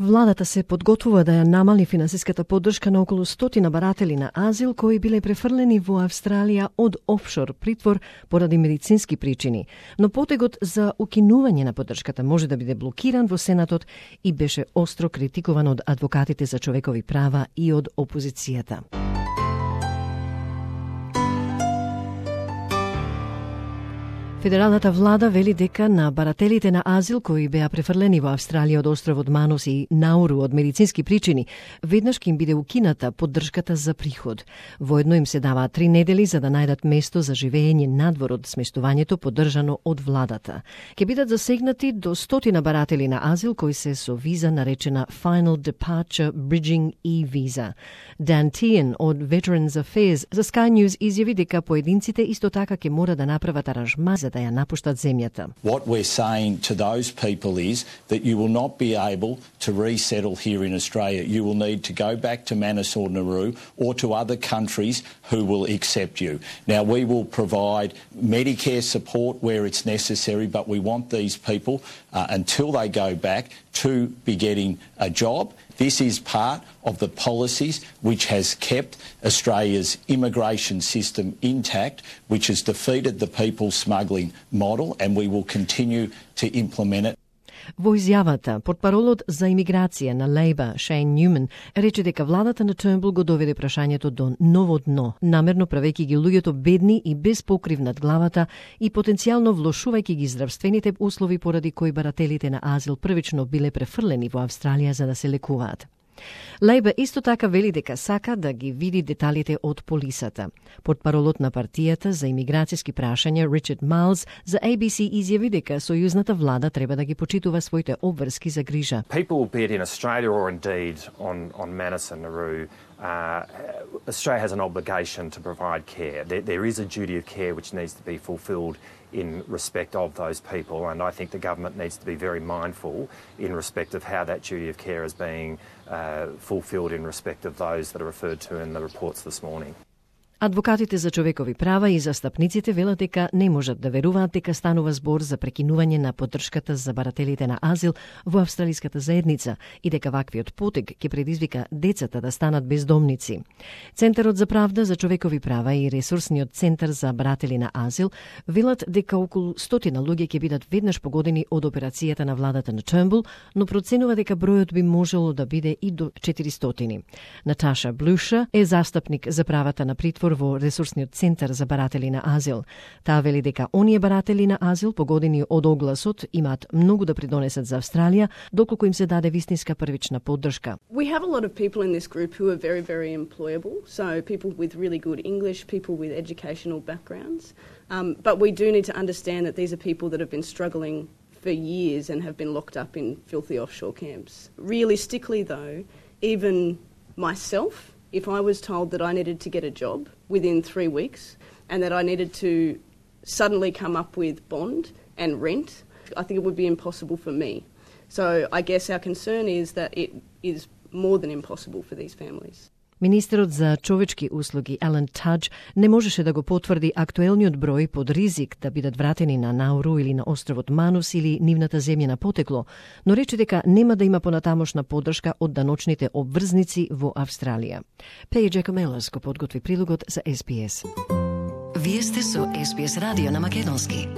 Владата се подготвува да ја намали финансиската поддршка на околу 100 баратели на азил кои биле префрлени во Австралија од офшор притвор поради медицински причини. Но потегот за укинување на поддршката може да биде блокиран во Сенатот и беше остро критикуван од адвокатите за човекови права и од опозицијата. Федералната влада вели дека на барателите на азил кои беа префрлени во Австралија од островот Манус и Науру од медицински причини, веднаш ќе им биде укината поддршката за приход. Воедно им се даваат 3 недели за да најдат место за живење надвор од смештувањето поддржано од владата. Ќе бидат засегнати до 100 баратели на азил кои се со виза наречена Final Departure Bridging E-Visa. Dan Tehan од Veterans Affairs за Sky News изјави дека поединците исто така ќе мора да направат аранжман да ја напуштат земјата. What we're saying to those people is that you will not be able to resettle here in Australia. You will need to go back to Manus or Nauru or to other countries who will accept you. Now, we will provide Medicare support where it's necessary, but we want these people, until they go back, to be getting a job. This is part of the policies which has kept Australia's immigration system intact, which has defeated the people smuggling model, and we will continue to implement it. Во изјавата, портпаролот за имиграција на Лейба, Шейн Нјумен, рече дека владата на Тurnbull го доведе прашањето до ново дно, намерно правејќи ги луѓето бедни и без покрив над главата и потенцијално влошувајќи ги здравствените услови поради кои барателите на азил првично биле префрлени во Австралија за да се лекуваат. Лейба исто така вели дека сака да ги види деталите од полисата. Портпаролот на партијата за имиграцијски прашања Ричард Майлз за ABC изјави дека сојузната влада треба да ги почитува своите обврски за грижа. People, be it in Australia or indeed on Manus and Nauru, Australia has an obligation to provide care. There is a duty of care which needs to be fulfilled in respect of those people, and I think the government needs to be very mindful in respect of how that duty of care is being fulfilled in respect of those that are referred to in the reports this morning. Адвокатите за човекови права и застапниците велат дека не можат да веруваат дека станува збор за прекинување на поддршката за барателите на азил во австралиската заедница и дека ваквиот потег ќе предизвика децата да станат бездомници. Центарот за правда за човекови права и ресурсниот центар за баратели на азил велат дека околу 100 луѓе ќе бидат веднаш погодени од операцијата на владата на Turnbull, но проценува дека бројот би можело да биде и до 400. Наташа Блуша е застапник за правата на притвор во ресурсниот центар за баратели на азил. Таа вели дека оние баратели на азил погодени од огласот имаат многу да придонесат за Австралија, доколку им се даде вистинска првична поддршка. We have a lot of people in this group who are very, very employable. So people with really good English, people with educational backgrounds. But we do need to understand that these are people that have been struggling for years and have been locked up in filthy offshore camps. Realistically though, even myself, if I was told that I needed to get a job within 3 weeks and that I needed to suddenly come up with bond and rent, I think it would be impossible for me. So I guess our concern is that it is more than impossible for these families. Министерот за човечки услуги Алан Тадж не можеше да го потврди актуелниот број под ризик да бидат вратени на Науру или на островот Манус или нивната земја на потекло, но рече дека нема да има понатамошна поддршка од даночните обврзници во Австралија. Пеј Джекомелос го подготви прилогот за SBS. Вие сте со SBS радио на македонски.